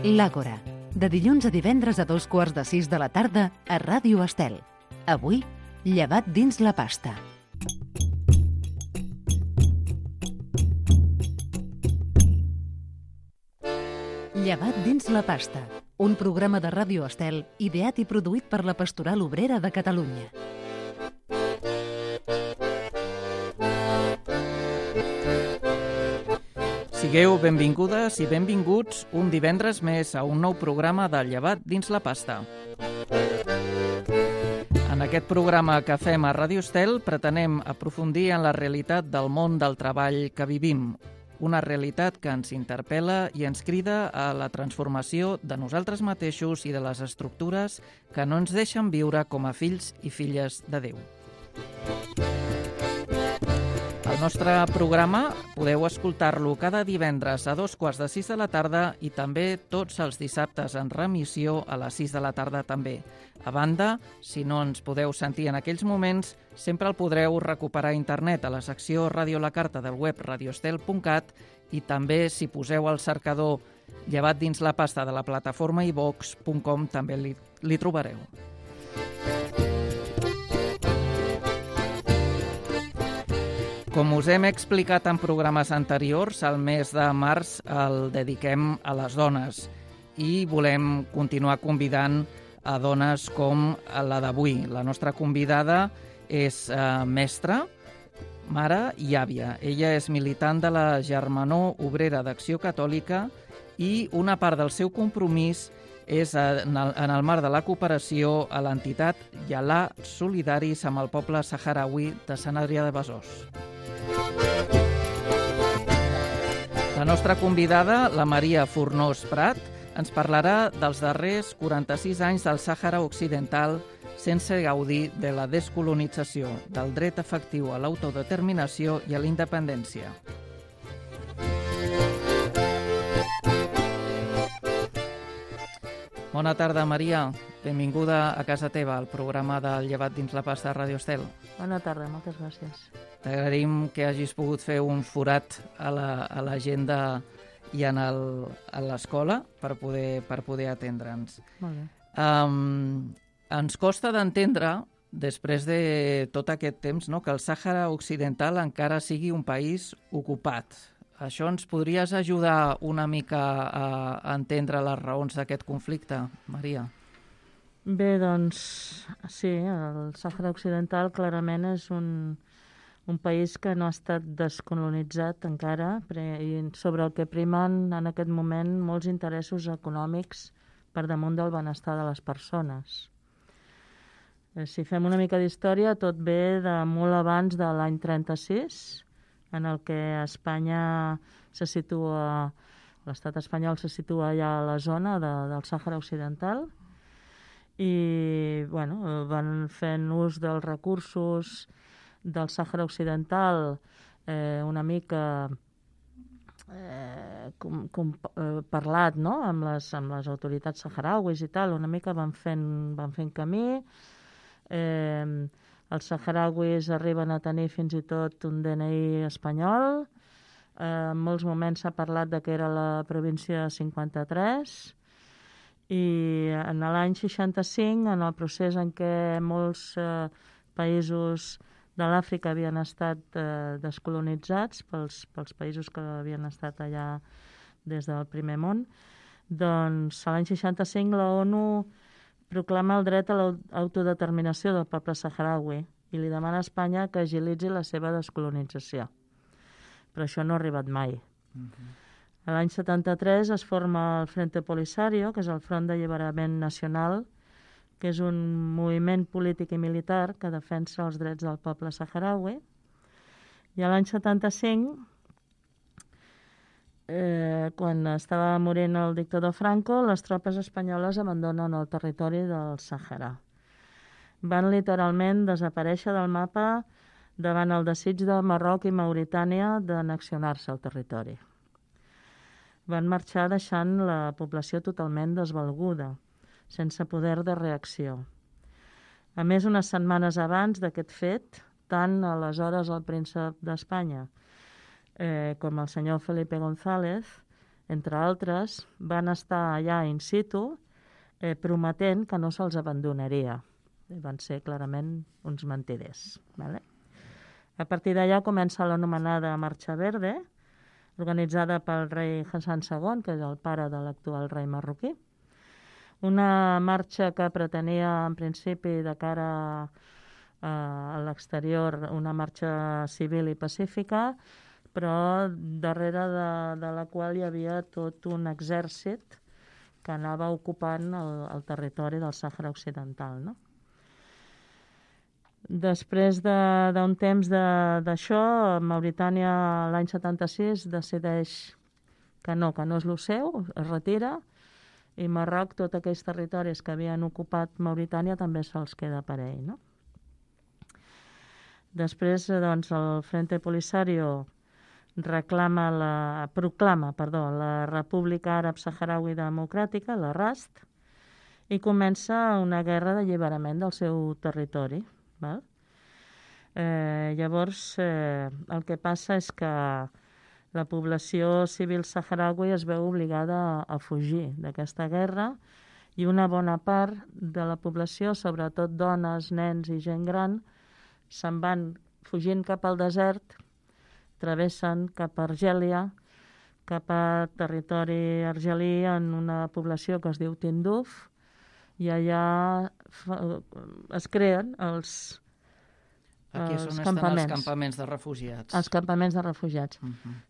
L'Àgora, de dilluns a divendres a 2:45 de la tarda a Ràdio Estel. Avui, llevat dins la pasta. Llevat dins la pasta, un programa de Ràdio Estel ideat i produït per la Pastoral Obrera de Catalunya. Sigueu benvingudes i benvinguts un divendres més a un nou programa de Llevat dins la pasta. En aquest programa que fem a Ràdio Estel pretenem aprofundir en la realitat del món del treball que vivim, una realitat que ens interpel·la i ens crida a la transformació de nosaltres mateixos i de les estructures que no ens deixen viure com a fills i filles de Déu. El nostre programa podeu escoltar-lo cada divendres a 2:15 de la tarda i també tots els dissabtes en remissió a les 6 de la tarda també. A banda, si no ens podeu sentir en aquells moments, sempre el podreu recuperar a internet a la secció Ràdio la Carta del web radioestel.cat i també si poseu al cercador Llevat dins la pasta de la plataforma iVox.com també li trobareu. Com us hem explicat en programes anteriors, el mes de març el dediquem a les dones i volem continuar convidant a dones com la d'avui. La nostra convidada és mestra, mare i àvia. Ella és militant de la Germanor Obrera d'Acció Catòlica i una part del seu compromís és en el marc de la cooperació a l'entitat Yalà Solidaris amb el poble saharaui de Sant Adrià de Besòs. La nostra convidada, la Maria Fornós Prat, ens parlarà dels darrers 46 anys del Sàhara Occidental sense gaudir de la descolonització, del dret efectiu a l'autodeterminació i a la independència. Bona tarda, Maria. Benvinguda a casa teva, al programa del Llevat dins la pasta de Ràdio Estel. Bona tarda, moltes gràcies. T'agraïm que hagis pogut fer un forat a l'agenda i a l'escola per poder atendre'ns. Molt bé. Ens costa d'entendre, després de tot aquest temps, no, que el Sàhara Occidental encara sigui un país ocupat. Això ens podries ajudar una mica a entendre les raons d'aquest conflicte, Maria? Bé, doncs, sí, el Sàhara Occidental clarament és un país que no ha estat descolonitzat encara i sobre el que primen en aquest moment molts interessos econòmics per damunt del benestar de les persones. Si fem una mica d'història, tot ve de molt abans de l'any 36, en el que Espanya se situa, l'estat espanyol se situa ja a la zona del Sàhara Occidental i bueno, van fent ús dels recursos del Sàhara Occidental una mica parlat, no? amb les autoritats saharauis i tal, una mica van fent camí. Els saharauis arriben a tenir fins i tot un DNI espanyol. En molts moments s'ha parlat de que era la província 53 i en l'any 65, en el procés en què molts països de l'Àfrica havien estat descolonitzats pels països que havien estat allà des del primer món, doncs l'any 65 la ONU proclama el dret a l'autodeterminació del poble saharaui i li demana a Espanya que agilitzi la seva descolonització. Però això no ha arribat mai. L'any 73 es forma el Frente Polisario, que és el Front d'Alliberament Nacional, que és un moviment polític i militar que defensa els drets del poble saharaui. I l'any 75, quan estava morint el dictador Franco, les tropes espanyoles abandonen el territori del Sàhara. Van literalment desaparèixer del mapa davant el desig de Marroc i Mauritània d'annexionar-se al territori. Van marxar deixant la població totalment desvalguda, sense poder de reacció. A més, unes setmanes abans d'aquest fet, tant aleshores el príncep d'Espanya com el senyor Felipe González entre altres, van estar allà in situ prometent que no se'ls abandonaria. Van ser clarament uns mentiders. Vale? A partir d'allà comença l'anomenada Marxa Verde, organitzada pel rei Hassan II, que és el pare de l'actual rei marroquí. Una marxa que pretenia, en principi, de cara a l'exterior, una marxa civil i pacífica, però darrere de la qual hi havia tot un exèrcit que anava ocupant el territori del Sàhara Occidental, no? Després d'un temps d'això, Mauritània l'any 76 decideix que no és el seu, es retira, i Marroc, tots aquells territoris que havien ocupat Mauritània, també se'ls queda per ell, no? Després, doncs, el Frente Polisario proclama la República Àrab Saharaui Democràtica, la RASD, i comença una guerra d'alliberament del seu territori. Val? Llavors, el que passa és que la població civil saharaui es veu obligada a fugir d'aquesta guerra i una bona part de la població, sobretot dones, nens i gent gran, se'n van fugint cap al desert, travessen cap a Argèlia, cap a territori argelí, en una població que es diu Tinduf, i allà es creen els Aquí és on estan els campaments de refugiats. Els campaments de refugiats.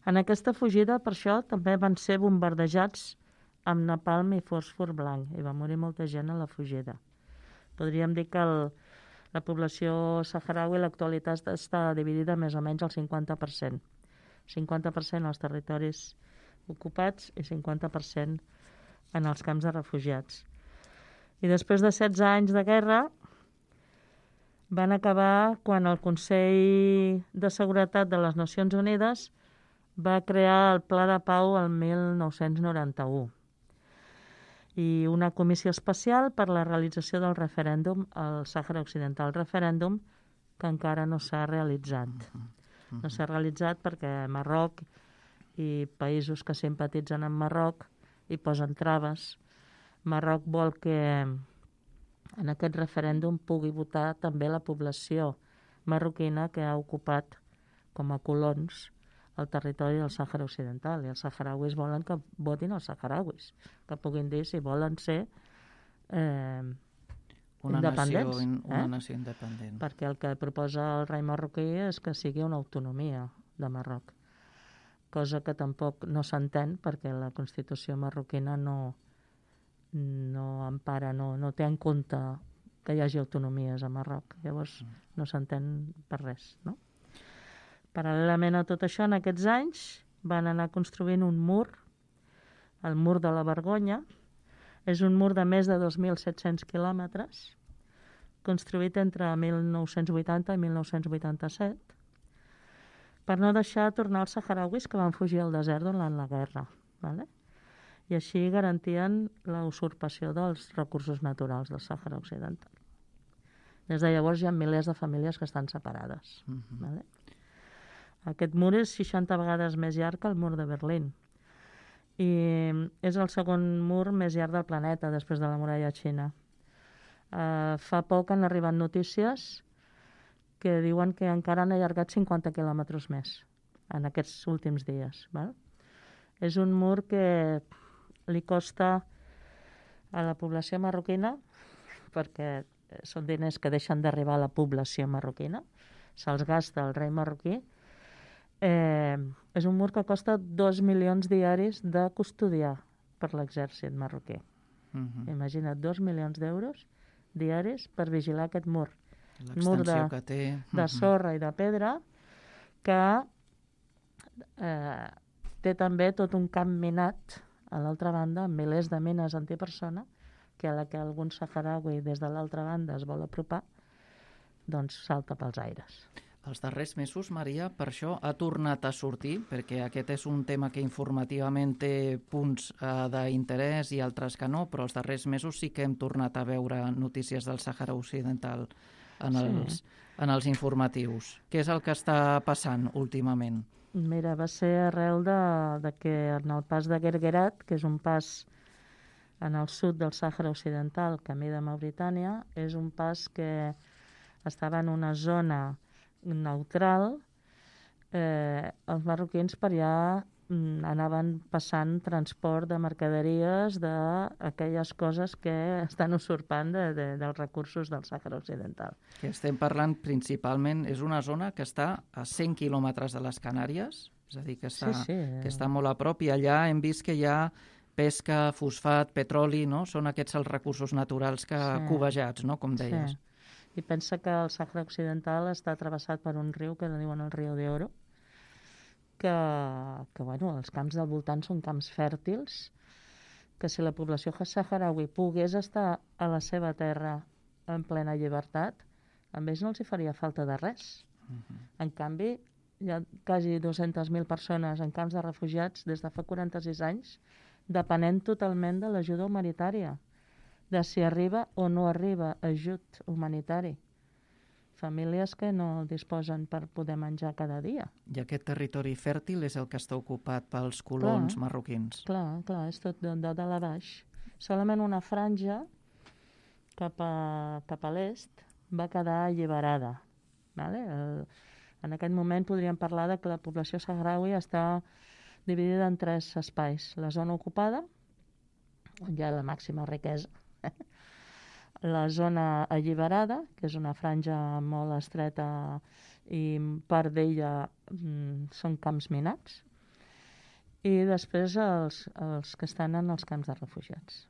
En aquesta fugida, per això, també van ser bombardejats amb napalm i fòsfor blanc, i va morir molta gent a la fugida. Podríem dir que la població saharaui a l'actualitat està dividida més o menys al 50%. 50% als territoris ocupats i 50% en els camps de refugiats. I després de 16 anys de guerra van acabar quan el Consell de Seguretat de les Nacions Unides va crear el Pla de Pau el 1991 i una comissió especial per la realització del referèndum al Sàhara Occidental, referèndum que encara no s'ha realitzat. No s'ha realitzat perquè Marroc i països que simpatitzen amb Marroc hi posen traves. Marroc vol que en aquest referèndum pugui votar també la població marroquina que ha ocupat com a colons el territori del Sàhara Occidental. I els saharauis volen que votin els saharauis, que puguin dir si volen ser independents. Una nació independent. Perquè el que proposa el rei marroquí és que sigui una autonomia de Marroc, cosa que tampoc no s'entén perquè la Constitució marroquina no empara, no té en compte que hi hagi autonomies a Marroc. Llavors no s'entén per res, no? Paral·lelament a tot això, en aquests anys van anar construint un mur, el mur de la Vergonya. És un mur de més de 2.700 quilòmetres, construït entre 1980 i 1987, per no deixar tornar els saharauis que van fugir al desert durant la guerra. Vale? I així garantien la usurpació dels recursos naturals del Sàhara Occidental. Des de llavors hi ha milers de famílies que estan separades. Vale? Aquest mur és 60 vegades més llarg que el mur de Berlín. I és el segon mur més llarg del planeta, després de la muralla xina. Fa poc han arribat notícies que diuen que encara han allargat 50 quilòmetres més en aquests últims dies. Val? És un mur que li costa a la població marroquina, perquè són diners que deixen d'arribar a la població marroquina, se'ls gasta el rei marroquí. És un mur que costa 2 milions diaris de custodiar per l'exèrcit marroquí. Imagina't, 2 milions d'euros diaris per vigilar aquest mur. L'extensió que té. De sorra i de pedra, que té també tot un camp minat a l'altra banda, amb milers de mines antipersona, que a la que algun saharaui des de l'altra banda es vol apropar, doncs salta pels aires. Els darrers mesos, Maria, per això ha tornat a sortir, perquè aquest és un tema que informativament té punts d'interès i altres que no, però els darrers mesos sí que hem tornat a veure notícies del Sàhara Occidental en els informatius. Què és el que està passant últimament? Mira, va ser arrel de que en el pas de Guerguerat, que és un pas en el sud del Sàhara Occidental, camí de Mauritània, és un pas que estava en una zona neutral. Els marroquins per allà anaven passant transport de mercaderies d'aquelles coses que estan usurpant dels recursos del Sàhara Occidental. Que estem parlant principalment, és una zona que està a 100 quilòmetres de les Canàries, és a dir, que està molt a prop, i allà hem vist que hi ha pesca, fosfat, petroli, no? Són aquests els recursos naturals cobejats, no? Com deies. I pensa que el Sàhara Occidental està travessat per un riu que diuen el riu de Oro, que els camps del voltant són camps fèrtils, que si la població saharaui pogués estar a la seva terra en plena llibertat, a ells no els hi faria falta de res. En canvi, hi ha quasi 200.000 persones en camps de refugiats des de fa 46 anys, depenent totalment de l'ajuda humanitària, de si arriba o no arriba ajut humanitari. Famílies que no disposen per poder menjar cada dia. I aquest territori fèrtil és el que està ocupat pels colons marroquins. Clar, és tot de dalt a baix. Solament una franja cap a l'est va quedar alliberada. Vale? En aquest moment podríem parlar de que la població saharaui està dividida en 3 espais. La zona ocupada, on hi ha la màxima riquesa. La zona alliberada, que és una franja molt estreta i part d'ella són camps minats, i després els que estan en els camps de refugiats.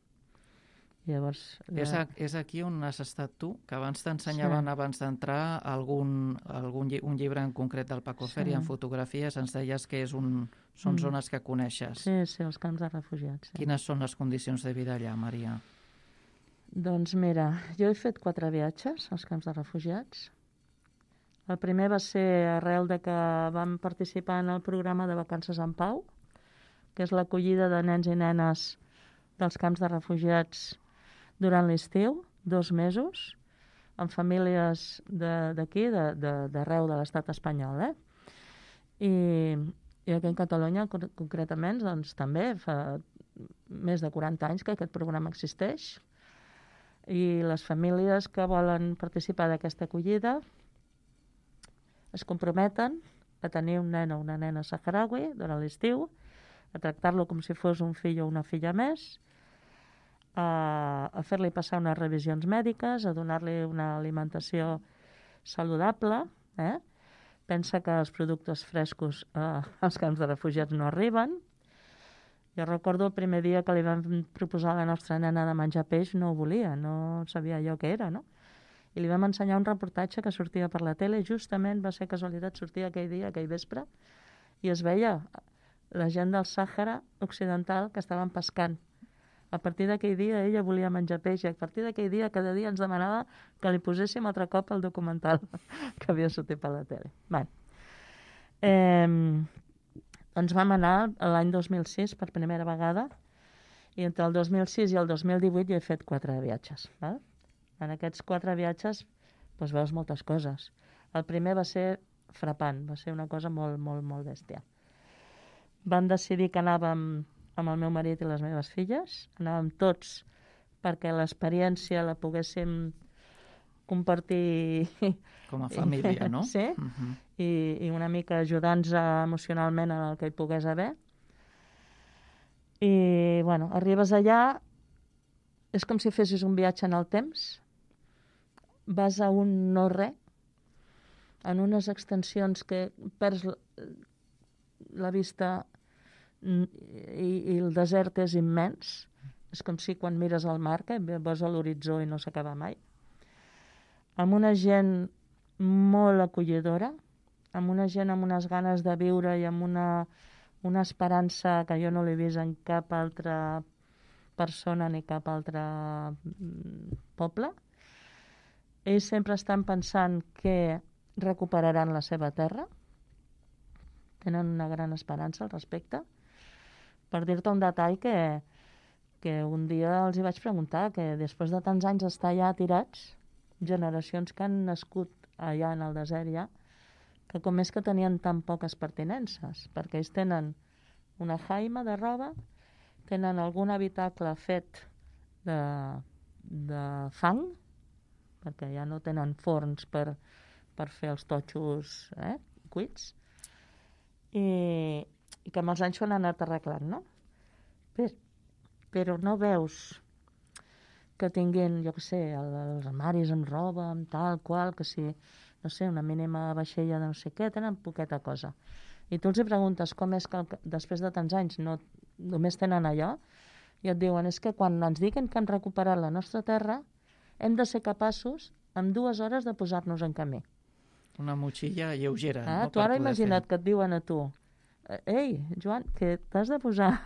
Llavors, és aquí on has estat tu, que abans t'ensenyaven, abans d'entrar, un llibre en concret del Paco Fer, i en fotografies ens deies que són zones que coneixes. Sí, els camps de refugiats. Sí. Quines són les condicions de vida allà, Maria? Doncs mira, jo he fet 4 viatges als camps de refugiats. El primer va ser arrel de que vam participar en el programa de Vacances en Pau, que és l'acollida de nens i nenes dels camps de refugiats durant l'estiu, 2 mesos, amb famílies d'aquí, d'arreu de l'estat espanyol. I aquí en Catalunya, concretament, doncs també fa més de 40 anys que aquest programa existeix, i les famílies que volen participar d'aquesta acollida es comprometen a tenir un nen o una nena saharaui durant l'estiu, a tractar-lo com si fos un fill o una filla més, a fer-li passar unes revisions mèdiques, a donar-li una alimentació saludable. Pensa que els productes frescos als camps de refugiats no arriben. Jo recordo el primer dia que li vam proposar a la nostra nena de menjar peix, no ho volia, no sabia allò què era, no? I li vam ensenyar un reportatge que sortia per la tele, justament va ser casualitat, sortia aquell dia, aquell vespre, i es veia la gent del Sàhara Occidental que estaven pescant. A partir d'aquell dia ella volia menjar peix, i a partir d'aquell dia cada dia ens demanava que li poséssim altre cop el documental que havia sortit per la tele. Doncs vam anar l'any 2006 per primera vegada, i entre el 2006 i el 2018 jo he fet 4 viatges. En aquests 4 viatges veus moltes coses. El primer va ser frapant, va ser una cosa molt, molt, molt bèstia. Vam decidir que anàvem amb el meu marit i les meves filles, anàvem tots perquè l'experiència la poguéssim compartir com a família, no? Sí, i una mica ajudar-nos emocionalment en el que hi pogués haver. I, arribes allà, és com si fessis un viatge en el temps, vas a un no-res, en unes extensions que perds la vista i el desert és immens. És com si quan mires al mar, que veus a l'horitzó i no s'acaba mai. Amb una gent molt acollidora, amb una gent amb unes ganes de viure i amb una esperança que jo no l'he vist en cap altra persona ni cap altre poble. Ells sempre estan pensant que recuperaran la seva terra, tenen una gran esperança al respecte. Per dir-te un detall que un dia els hi vaig preguntar, que després de tants anys estar allà tirats, generacions que han nascut allà en el desert ja, que com és que tenien tan poques pertinences, perquè ells tenen una jaima de roba, tenen algun habitacle fet de fang, perquè ja no tenen forns per fer els totxos cuits, i que amb els anys s'ho han anat arreglant, no? Però no veus que tinguin, jo què sé, els armaris amb roba, amb tal qual, que si, no sé, una mínima vaixella de no sé què, tenen poqueta cosa. I tu els hi preguntes com és que després de tants anys no només tenen allò, i et diuen, és que quan ens diguin que han recuperat la nostra terra, hem de ser capaços en 2 hores de posar-nos en camí. Una motxilla lleugera. No? Tu ara imagina't que et diuen a tu, ei, Joan, que t'has de posar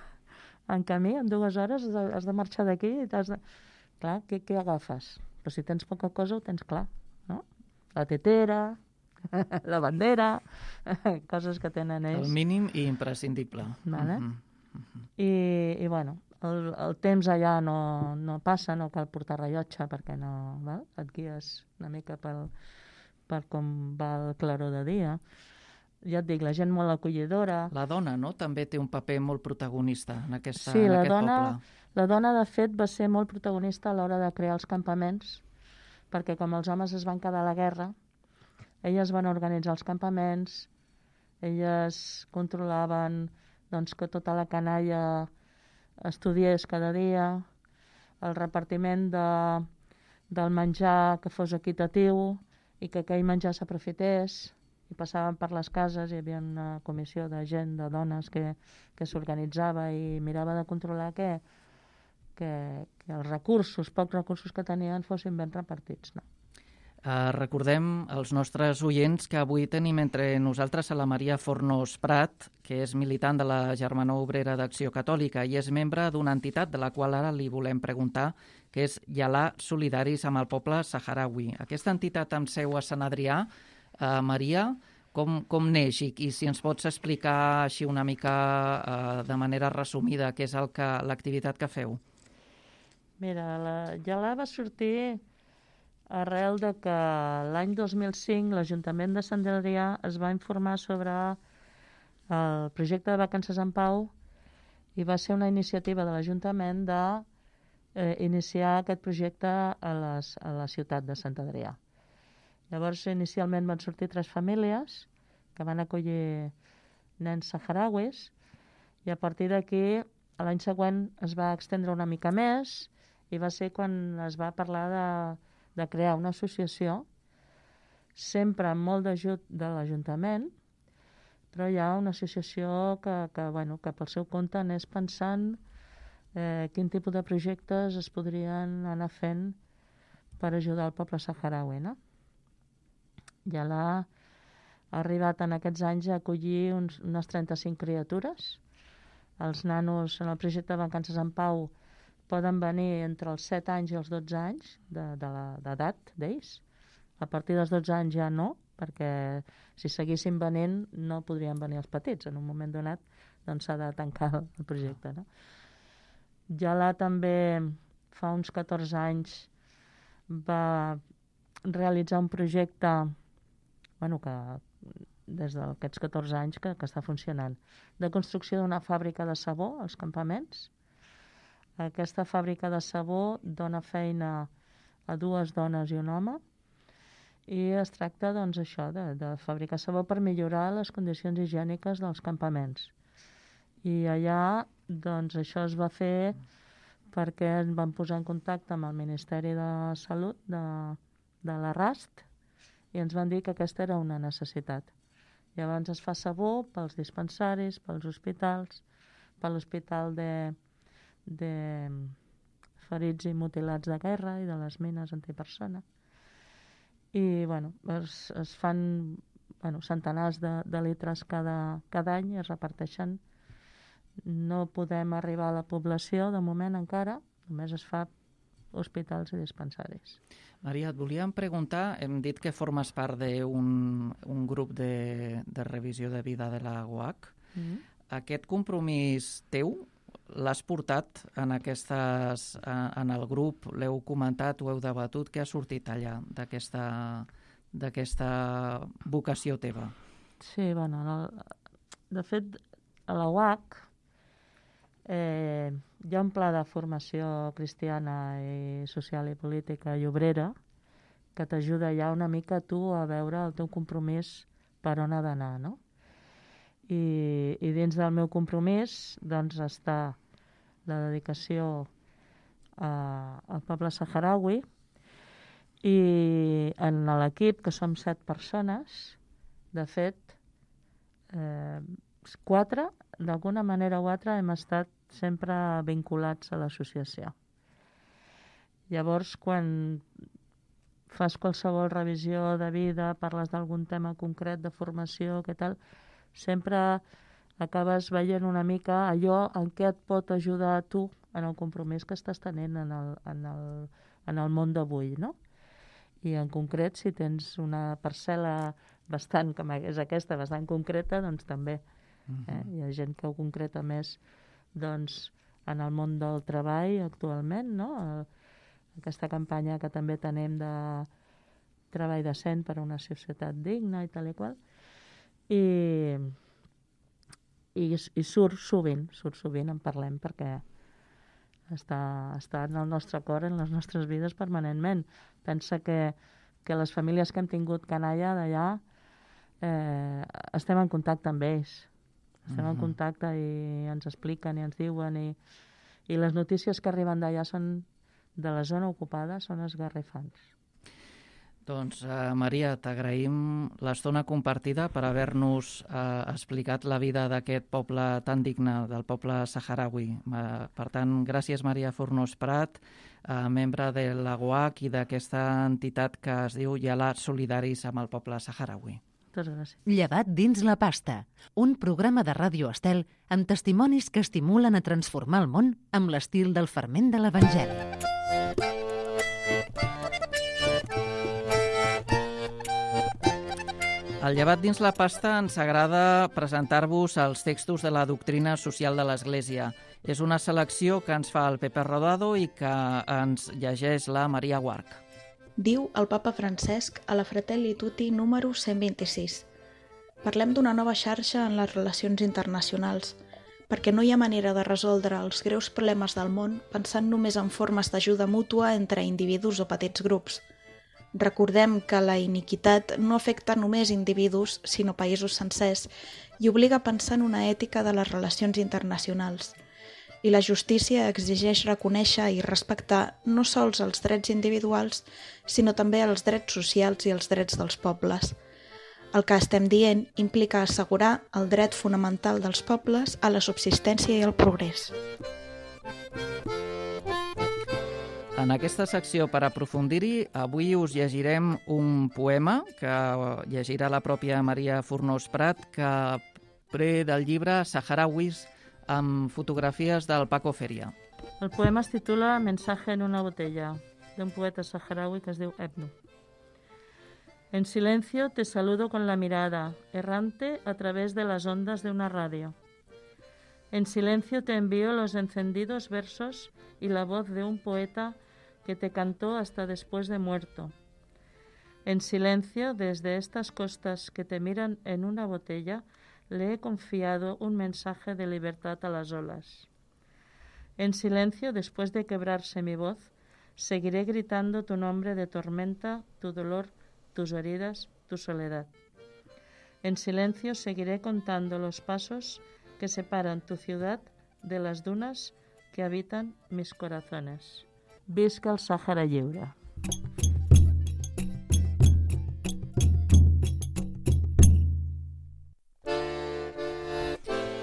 en camí, en 2 hores has de marxar d'aquí i t'has de... Clar, què agafes? Però si tens poca cosa ho tens clar, no? La tetera, la bandera, coses que tenen ells. El mínim i imprescindible. Vale? I bueno, el temps allà no passa, no cal portar rellotge perquè no... Val? Et guies una mica per com va el claror de dia. Ja et dic, la gent molt acollidora. La dona, no?, també té un paper molt protagonista en aquest poble. Sí, la dona, de fet, va ser molt protagonista a l'hora de crear els campaments, perquè com els homes es van quedar a la guerra, elles van organitzar els campaments, elles controlaven doncs, que tota la canalla estudiés cada dia, el repartiment del menjar que fos equitatiu i que aquell menjar s'aprofités, i passaven per les cases, hi havia una comissió de gent, de dones que s'organitzava i mirava de controlar que els recursos, pocs recursos que tenien, fossin ben repartits. No? Recordem als nostres oients que avui tenim entre nosaltres a la Maria Fornós Prat, que és militant de la Germanor Obrera d'Acció Catòlica i és membre d'una entitat de la qual ara li volem preguntar, que és Yalà Solidaris amb el poble saharaui. Aquesta entitat amb seu a Sant Adrià, Maria, com neix i si ens pots explicar així una mica de manera resumida què és l'activitat que feu? Mira, la Yalà va sortir arrel de que l'any 2005 l'Ajuntament de Sant Adrià es va informar sobre el projecte de Vacances en Pau i va ser una iniciativa de l'Ajuntament d'iniciar aquest projecte a la ciutat de Sant Adrià. Llavors, inicialment van sortir 3 famílies que van acollir nens saharauis i a partir d'aquí, l'any següent es va extendre una mica més i va ser quan es va parlar de crear una associació, sempre amb molt d'ajut de l'Ajuntament, però hi ha una associació que pel seu compte anés pensant quin tipus de projectes es podrien anar fent per ajudar el poble saharaui, no? Ja ha arribat en aquests anys a acollir unes 35 criatures. Els nanos en el projecte de Vacances en Pau poden venir entre els 7 anys i els 12 anys d'edat d'ells. A partir dels 12 anys ja no, perquè si seguissin venint no podrien venir els petits. En un moment donat doncs s'ha de tancar el projecte. No? Yalà també fa uns 14 anys va realitzar un projecte que des d'aquests 14 anys que està funcionant, de construcció d'una fàbrica de sabó als campaments. Aquesta fàbrica de sabó dona feina a 2 dones i un home i es tracta doncs, això de fabricar sabó per millorar les condicions higièniques dels campaments. I allà doncs, això es va fer perquè ens van posar en contacte amb el Ministeri de Salut de la RAST i ens van dir que aquesta era una necessitat. Llavors es fa sabó pels dispensaris, pels hospitals, per l'hospital de ferits i mutilats de guerra i de les mines antipersona. I es fan centenars de litres cada any i es reparteixen. No podem arribar a la població de moment encara, només es fa hospitals i dispensaris. Maria, et volíem preguntar, hem dit que formes part d'un grup de revisió de vida de la UAC. Aquest compromís teu l'has portat en el grup, l'heu comentat, ho heu debatut, què ha sortit allà d'aquesta vocació teva? Sí, bueno, de fet, a la UAC hi ha un pla de formació cristiana i social i política i obrera que t'ajuda ja una mica tu a veure el teu compromís per on ha d'anar, no? I dins del meu compromís doncs està la dedicació al poble saharaui i en l'equip, que som 7 persones, de fet, 4, d'alguna manera o altra, hem estat sempre vinculats a l'associació. Llavors, quan fas qualsevol revisió de vida, parles d'algun tema concret de formació, què tal, sempre acabes veient una mica allò en què et pot ajudar a tu en el compromís que estàs tenint en el món d'avui, no? I en concret, si tens una parcel·la bastant, com és aquesta, bastant concreta, doncs també. Hi ha gent que ho concreta més doncs, en el món del treball actualment, no? Aquesta campanya que també tenim de treball decent per a una societat digna i tal i qual. I surt sovint en parlem perquè està en el nostre cor, en les nostres vides permanentment. Pensa que les famílies que hem tingut canalla d'allà estem en contacte amb ells. Estem en contacte i ens expliquen i ens diuen i les notícies que arriben d'allà són de la zona ocupada, són esgarrifants. Doncs, Maria, t'agraïm l'estona compartida per haver-nos explicat la vida d'aquest poble tan digne, del poble saharaui. Per tant, gràcies, Maria Fornós Prat, membre de la UAC i d'aquesta entitat que es diu Yalat Solidaris amb el poble saharaui. Moltes gràcies. Llevat dins la pasta, un programa de Ràdio Estel amb testimonis que estimulen a transformar el món amb l'estil del ferment de l'Evangeli. Al Llevat dins la pasta ens agrada presentar-vos els textos de la doctrina social de l'Església. És una selecció que ens fa el Pepe Rodado i que ens llegeix la Maria Guarch. Diu el papa Francesc a la Fratelli Tutti número 126. Parlem d'una nova xarxa en les relacions internacionals, perquè no hi ha manera de resoldre els greus problemes del món pensant només en formes d'ajuda mútua entre individus o petits grups. Recordem que la iniquitat no afecta només individus, sinó països sencers, i obliga a pensar en una ètica de les relacions internacionals. I la justícia exigeix reconèixer i respectar no sols els drets individuals, sinó també els drets socials i els drets dels pobles. El que estem dient implica assegurar el dret fonamental dels pobles a la subsistència i al progrés. En aquesta secció, per aprofundir-hi, avui us llegirem un poema que llegirà la pròpia Maria Fornós Prat, que pre del llibre Saharauis, amb fotografies del Paco Feria. El poema es titula Mensaje en una botella, d'un poeta saharaui que es diu Ebnu. En silencio te saludo con la mirada, errante a través de las ondas de una radio. En silencio te envío los encendidos versos y la voz de un poeta que te cantó hasta después de muerto. En silencio, desde estas costas que te miran en una botella, le he confiado un mensaje de libertad a las olas. En silencio, después de quebrarse mi voz, seguiré gritando tu nombre de tormenta, tu dolor, tus heridas, tu soledad. En silencio seguiré contando los pasos que separan tu ciudad de las dunas que habitan mis corazones. Visca el Sàhara lliure.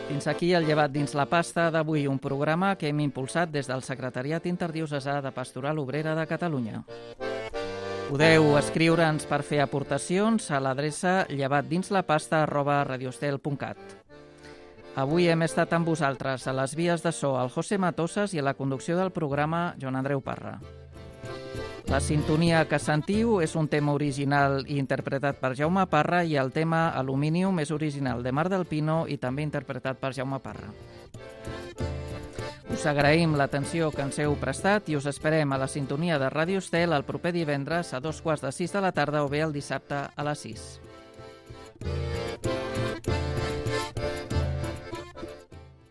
Fins aquí el Llevat dins la pasta d'avui, un programa que hem impulsat des del Secretariat Interdiocesà de Pastoral Obrera de Catalunya. Podeu escriure'ns per fer aportacions a l'adreça llevatdinslapasta@radiostel.cat. Avui hem estat amb vosaltres a les vies de so el José Matosas i a la conducció del programa Joan Andreu Parra. La sintonia que sentiu és un tema original i interpretat per Jaume Parra i el tema Aluminium és original de Mar del Pino i també interpretat per Jaume Parra. Us agraïm l'atenció que ens heu prestat i us esperem a la sintonia de Ràdio Estel el proper divendres a 2:15 de la tarda o bé el dissabte a les 6.